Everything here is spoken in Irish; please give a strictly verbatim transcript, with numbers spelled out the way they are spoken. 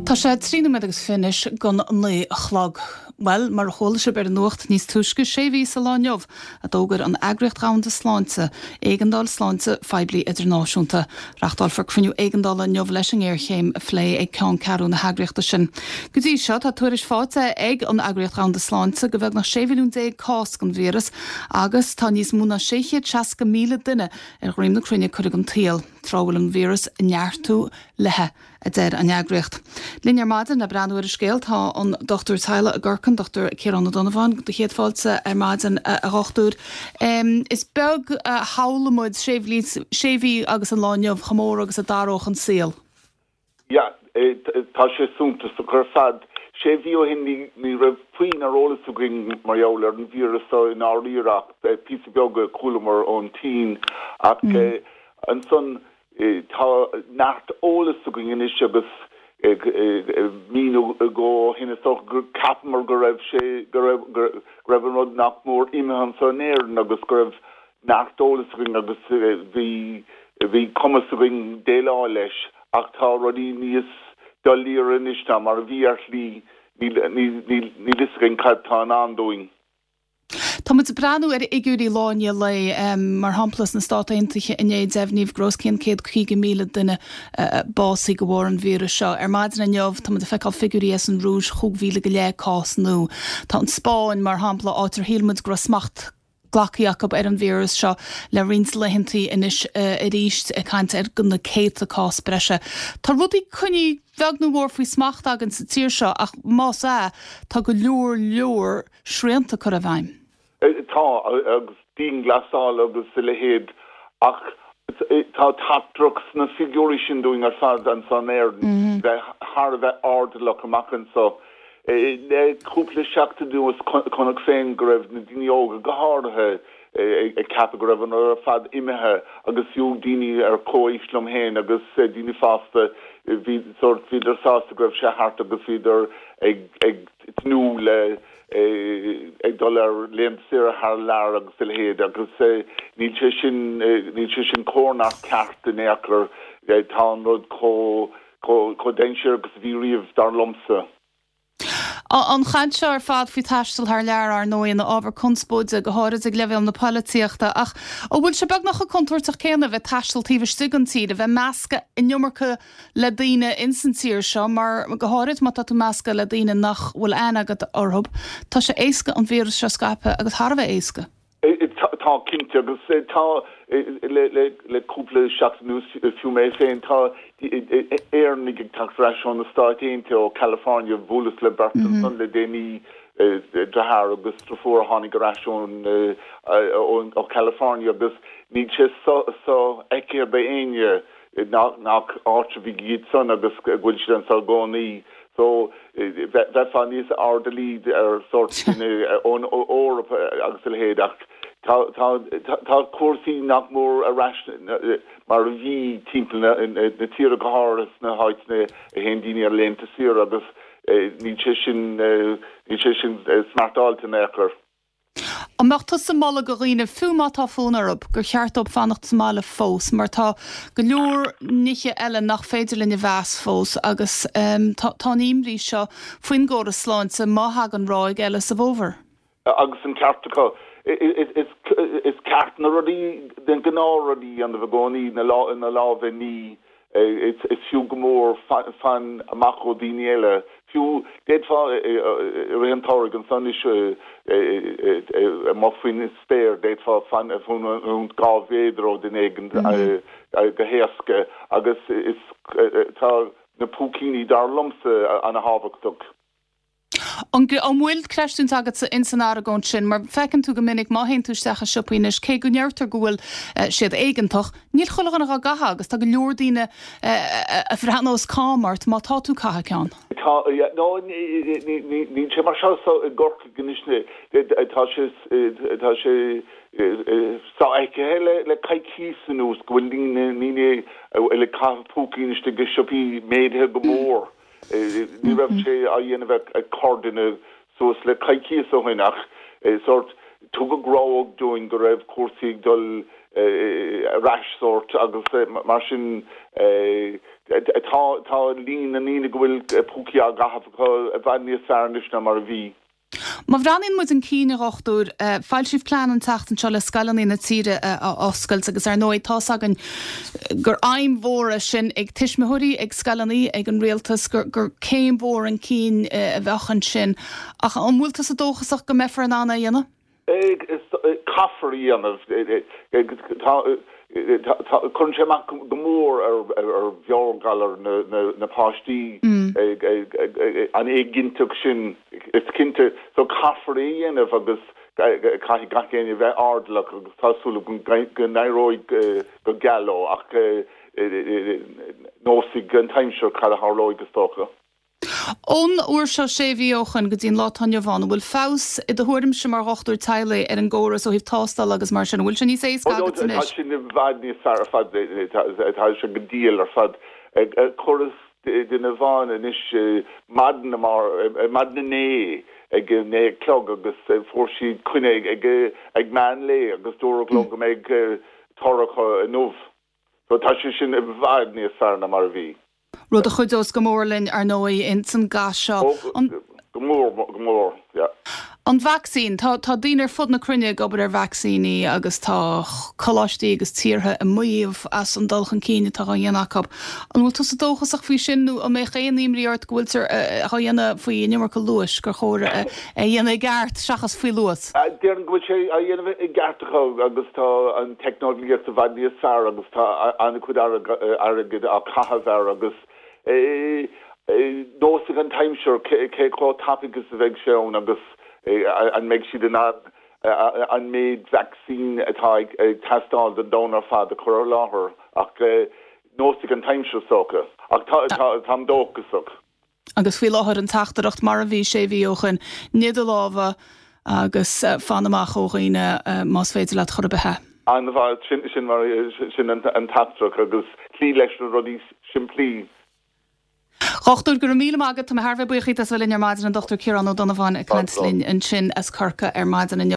Tá sé trí nóiméad agus fiche anois don naoi a chlog. Well, mar a chuala sibh ar an nuacht níos túisce sé mhí sa lá inniu a d'fhógair an Eagraíocht Dhomhanda Sláinte, éigeandáil sláinte phoiblí idirnáisiúnta. Reáchtálfar cruinniú éigeandála inniu leis an ngéarchéim a phlé ag ceanncheathrú na heagraíochta sin. Go dtí seo tá tuairisc faighte ag an Eagraíocht Dhomhanda Sláinte go beagnach sé mhilliún déag cás den víreas agus tá níos mó ná sé chéad seasca míle duine ar dhroim na cruinne curtha den tsaol. Tráth a bhfuil an víreas ag neartú léi a deir an eagraíocht. Linn ar maidin le breathnú ar an scéal tá an dochtúir teaghlaigh i gCorcaigh, Dr Ciarán Ó Donnabháin, do chéad fáilte ar maidin a dhochtúir. Um, is beag a shamhlaigh muid sé mhí agus an lá inniu chomh mór agus a d'athródh an saol. Ja, tá sé suntasach ar fad. Sé mhí ó shin ní raibh puinn ar eolas againn mar gheall ar an víreas i ndáiríre ach píosa beag a chualamar ón tSín ach mm. ansan tá neart eolas againn anois agus mí nó dhó ó shin gur cheapamar go raibh sé go raibh an rud nach mór imithe anseo in Éirinn agus go raibh neart eolas againn agus bhí bhí cumas againn déileáil leis ach tá rudaí níos doiléire anois ná mar a bhí ar shlí níl a fhios againn cad tá i ndán dúinn. Tá muid ag breathnú ar fhigiúirí lá i ndiaidh lae mar shampla sna Stáit Aontaithe inné deimhníodh go raibh os cionn céad caoga míle duine básaithe de bharr an víreas seo. Ar maidin inniu tá muid ag feiceáil figiúirí as an Rúis chúig mhíle go leith cás nua. Tá an Spáinn mar shampla áit ar shíl muid go raibh smacht glactha acu ar an víreas seo le roinnt laethanta anois arís ag caint ar na céadta cás breise. Tá rudaí coinnithe beag nó mór faoi smacht againn sa tír seo ach más ea tá go leor leor srianta curtha i bhfeidhm. Tá agus dianghlasáil agus a leithéid ach tá teachtaireacht sna figiúirí sin dúinn ar fad anseo in Éirinn bheith thar a bheith airdeallach amach anseo. Le cúpla seachtain anuas chonac féin go raibh na daoine óga go háirithe ag ceapadh go raibh an ar fad imithe agus fiú daoine ar comhaois liom féin agus daoine fásta bhí sort bhíodar sásta go raibh sé thart agus bhíodar ag ag tnúth le ag dul ar laethanta saoire thar lear agus a leithéid agus níl sé sin níl sé sin cóir ná ceart in aon chor tá an rud chomh chomh dainséarach agus a bhí riamh dar liomsa. An chaint seo ar fad faoi taisteal thar lear ar ndóigh ina ábhar conspóide go háirid ag leibhéal na polaitíochta ach an bhfuil sé beagnach chomh contúirteach céanna bheith taisteal taobh istigh den tír a bheith measctha an iomarca le daoine ins an tír seo mar go háirid má tá tú measctha le daoine nach bhfuil aithne agat orthu tá sé éasca an víreas seo scaipeadh agus thar a bheith éasca. Tá cinnte agus tá le le le cúpla seachtain anuas fiú mé féin tá Éireannaigh ag teacht ar ais ó na Stáit Aontaithe ó California bhuaileas le beirt ansan le déanaí deartháir agus deirfiúr a tháinig ar ais ón ó California agus níl sé sofheicthe d'aoinne nach áit iad san agus go bhfuil siad anseo i gcónaí so bheifeá níos airdeallaí ar sort ón Eoraip agus a leithéid ach tá cúrsaí nach mór ar ais mar a bhí timpeall na tíre go háirithe sna háiteanna a théann daoine ar laethanta saoire agus níl sé sin níl sé sin smartáilte in aon chor. An mbeadh tusa ag moladh do dhaoine fiú má tá fonn orthu gur cheart dóibh fanacht sa mbaile fós, mar tá go leor nithe eile nach féidir linn a mheas fós agus um, tá an imní seo faoin gcóras sláinte má thagann ráig eile sa bhfómhar. Agus an ceart acu is ceart na rudaí den gnáthrudaí an i gcónaí na lá na lámha a ní is fiú go mór fan amach ó daoine eile fiú d'fhéadfá i rith an tsamhraidh ansan anois amuigh faoin spéir d'fhéadfá fan dhá mhéadar ó duine éigin go héasca agus is tá na púicíní dar liomsa an-thábhachtach. An bhfuil creidiúint agat in san argóint sin, mar feiceann tú go minic má théann tú isteach i siopaí anois cé go ndeirtear go bhfuil siad éigeantach, níl chuile dhuine á gcaitheamh agus tá go leor daoine a bhreathnós cam ort má tá tú ag caitheamh ceann. Tá no níl sé mar seo i gCorcaigh anois tá sé tá sé sofheicthe le le coicís anuas go bhfuil daoine ag caitheamh púicín istigh i siopaí méadaithe go mór. Ní raibh sé á dhéanamh ag corrdhuine suas le coicís ó shin ach sort tugadh rabhadh dúinn go raibh cúrsaí ag dul ar ais sórt agus mar sin tá tá líon na ndaoine go bhfuil púcaí á gcaitheamh acu i bhfad níos fearr anois ná mar a bhí. Má bhreathnaíonn muid chun cinn a dhochtúir, foilsíodh plean an tseachtain seo le scoileanna na tíre a oscailt agus ar ndóigh tá's againn gur aidhm mhór é sin ag tuismitheoirí, ag scoileanna, ag an rialtas gur gur céim mhór chun cinn a bheadh ansin. Ach an bhfuil tusa dóchasach go mbeifear in ann é a dhéanamh? Caithfear a dhéanamh. Cuireann sé amach go mór ar mheabhairghalar na páistí an éiginnteacht sin is cinnte so caithfear é a dhéanamh agus caithfidh gach éinne bheith airdeallach agus tá súil go n-éireoidh go geal leo ach neosfaidh an t-aimsir cad a tharlóidh is dócha. Ón uair seo sé mhí ó shin go dtí an lá atá inniu ann, an bhfuil feabhas i do thuairimse mar dhochtúir teaghlaigh ar an gcóras ó thaobh tástála agus mar sin? An bhfuil sé níos éasca agat anois? Tá sin i bhfad níos fearr ar fad, tá sé go diail ar fad. Chuireas duine amháin anois maidin maidin inné ag a naoi a chlog agus fuair siad coinne ag ag meán lae agus dúradh leo go mbeidh toradh acu inniu. So tá sé sin i bhfad níos fearr ná mar a bhí. Rud a chuideos go mór linn ar ndóigh ins an gcath seo. Go mór, go mór, yeah. An vacsaín, tá tá daoine ar fud na cruinne ag obair ar vacsaíní agus tá coláistí agus tíortha ag maíomh as an dul chun cinn atá á dhéanamh acu. An bhfuil tusa dóchasach faoi sin nó an mbeadh aon imní ort go bhfuiltear á dhéanamh faoi an iomarca luais gur chóir é a dhéanamh i gceart seachas faoi luas? Déarfainn go bhfuil sé á dhéanamh i gceart acu agus tá an teicneolaíocht i bhfad níos fearr agus tá an-chuid airgid á caitheamh air agus neosfaidh an t-aimsir cé chomh tapaidh is a bheidh sé ann agus an mbeidh siad in ann an méid vacsaín atá ag teastáil don domhan ar fad a chur ar láthair ach neosfaidh an t-aimsir is dócha ach táim dóchasach. Agus faoi láthair an teachtaireacht mar a bhí sé mhí ó shin, nigh do lámha agus fan amach ó dhaoine más féidir leat chor ar bith. An-mhaith, sin sin mar sin an teachtaireacht agus cloí leis na rudaí simplí. Dhochtúir, go raibh míle maith agat, tá mé thar a bheith buíoch díot as a bheith linn ar maidin an Dochtúir Ciarán Ó Donnabháin ag caint linn ansin as Corcaigh ar maidin inniu.